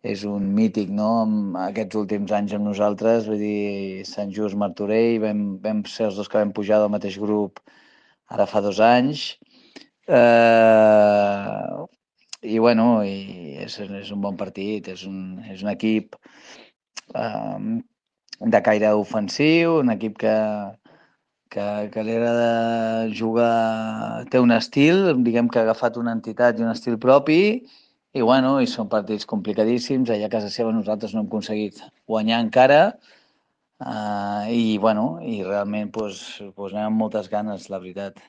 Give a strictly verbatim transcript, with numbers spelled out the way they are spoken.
és un mític, no?, amb aquests últims anys amb nosaltres, vull dir, Sant Just Martorell, vam, vam ser els dos que vam pujar del mateix grup ara fa dos anys. Eh, I, bueno, i és, és un bon partit, és un, és un equip eh, de caire ofensiu, un equip que, que, que li agrada jugar, té un estil, diguem que ha agafat una entitat i un estil propi, i bueno, i són partits complicadíssims, allà a casa seva nosaltres no hem aconseguit guanyar encara, uh, i bueno, i realment pues, pues anem amb moltes ganes, la veritat.